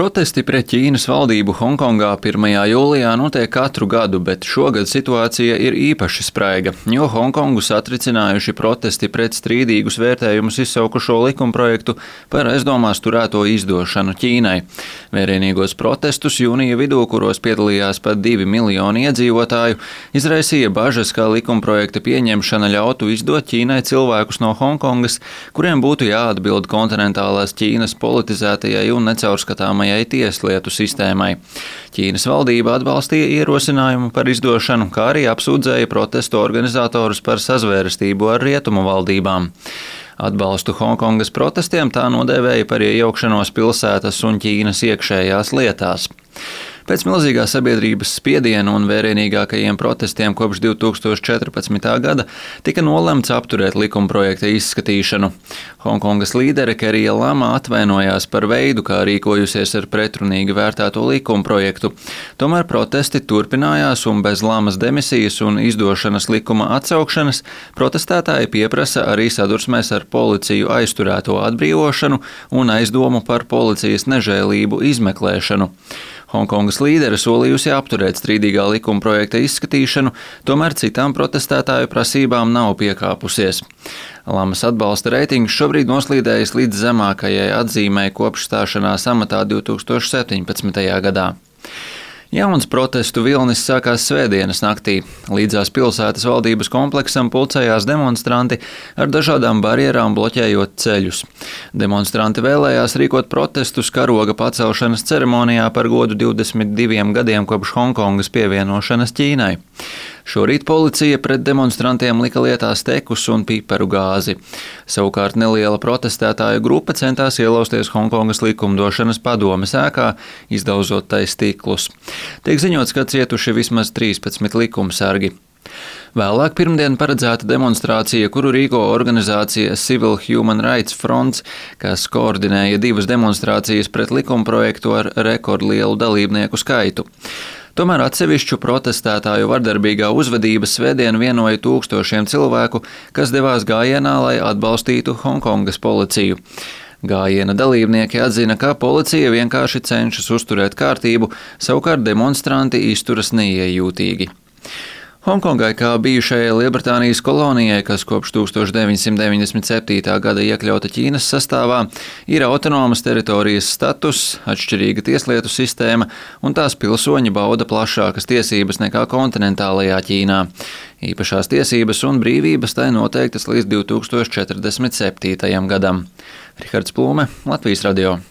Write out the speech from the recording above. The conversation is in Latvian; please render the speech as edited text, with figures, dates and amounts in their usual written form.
Protesti pret Ķīnas valdību Honkongā 1. jūlijā notiek katru gadu, bet šogad situācija ir īpaši spraiga, jo Hongkongu satricinājuši protesti pret strīdīgus vērtējumus izsaukušo likumprojektu par aizdomās turēto izdošanu Ķīnai. Vērienīgos protestus jūnija vidū, kuros piedalījās pat 2 miljoni iedzīvotāju, izraisīja bažas, ka likumprojekta pieņemšana ļautu izdot Ķīnai cilvēkus no Hongkongas, kuriem būtu jāatbild kontinentālās Ķīnas politizētajai un necaurskatāmajai tieslietu sistēmai. Ķīnas valdība atbalstīja ierosinājumu par izdošanu, kā arī apsūdzēja protestu organizatorus par sazvērestību ar rietumu valdībām. Atbalstu Hongkongas protestiem tā nodēvēja par iejaukšanos pilsētas un Ķīnas iekšējās lietās. Pēc milzīgā sabiedrības spiediena un vērienīgākajiem protestiem kopš 2014. gada tika nolemts apturēt likumprojekta izskatīšanu. Hongkongas līdere Kerija Lama atvainojās par veidu, kā rīkojusies ar pretrunīgi vērtēto likumprojektu. Tomēr protesti turpinājās un bez Lamas demisijas un izdošanas likuma atsaukšanas protestētāji pieprasa arī sadursmēs ar policiju aizturēto atbrīvošanu un aizdomu par policijas nežēlību izmeklēšanu. Hongkongas līdere solījusi apturēt strīdīgā likumprojekta izskatīšanu, tomēr citām protestētāju prasībām nav piekāpusies. Lamas atbalsta reitings šobrīd noslīdējis līdz zemākajai atzīmei kopš stāšanās amatā 2017. gadā. Jauns protestu vilnis sākās svētdienas naktī. Līdzās pilsētas valdības kompleksam pulcējās demonstranti ar dažādām barjerām bloķējot ceļus. Demonstranti vēlējās rīkot protestus karoga pacelšanas ceremonijā par godu 22 gadiem kopš Hongkongas pievienošanas Ķīnai. Šorīt policija pret demonstrantiem lika lietā stekus un piparu gāzi. Savukārt neliela protestētāju grupa centās ielausties Hongkongas likumdošanas padomes ēkā, izdaužot tai stiklus. Tiek ziņots, ka cietuši vismaz 13 likumsargi. Vēlāk pirmdien paredzēta demonstrācija, kuru rīko organizācija Civil Human Rights Fronts, kas koordinēja 2 demonstrācijas pret likumprojektu ar rekordlielu dalībnieku skaitu. Tomēr atsevišķu protestētāju vardarbīgā uzvedība svētdien vienoja tūkstošiem cilvēku, kas devās gājienā, lai atbalstītu Hongkongas policiju. Gājiena dalībnieki atzina, ka policija vienkārši cenšas uzturēt kārtību, savukārt demonstranti izturas neiejūtīgi. Hongkongai, kā bijušajai Lielbritānijas kolonijai, kas kopš 1997. gada iekļauta Ķīnas sastāvā, ir autonomas teritorijas status, atšķirīga tieslietu sistēma un tās pilsoņi bauda plašākas tiesības nekā kontinentālajā Ķīnā. Īpašās tiesības un brīvības tai noteiktas līdz 2047. gadam. Rihards Plūme, Latvijas radio.